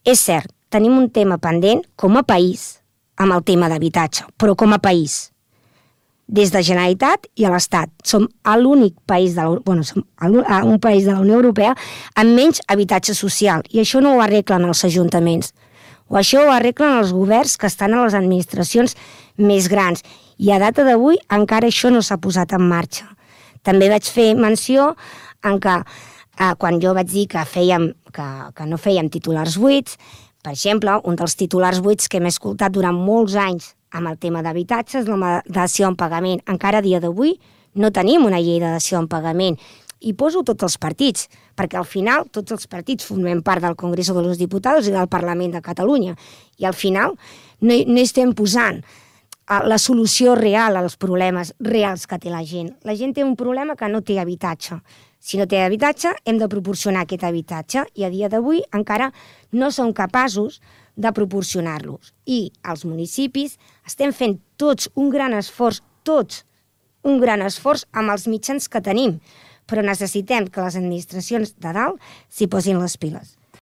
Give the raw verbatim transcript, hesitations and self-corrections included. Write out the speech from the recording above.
És cert, tenim un tema pendent com a país amb el tema d'habitatge, però com a país. Des de Generalitat i a l'Estat. Som l'únic país de la, bueno, som un país de la Unió Europea amb menys habitatge social, i això no ho arreglen els ajuntaments. O això ho arreglen els governs que estan a les administracions més grans. I a data d'avui encara això no s'ha posat en marxa. També vaig fer menció en que eh, quan jo vaig dir que, fèiem, que, que no fèiem titulars buits, per exemple, un dels titulars buits que hem escoltat durant molts anys amb el tema d'habitatge és la dació en pagament. Encara a dia d'avui no tenim una llei de dació en pagament. I poso tots els partits, perquè al final tots els partits formem part del Congreso de los Diputados i del Parlament de Catalunya. I al final no, no estem posant la solució real als problemes reals que té la gent. La gent té un problema que no té habitatge. Si no té habitatge, hem de proporcionar aquest habitatge, i a dia d'avui encara no som capaços de proporcionar-los. I als municipis estem fent tots un gran esforç, tots un gran esforç amb els mitjans que tenim, però necessitem que les administracions de dalt s'hi posin les piles.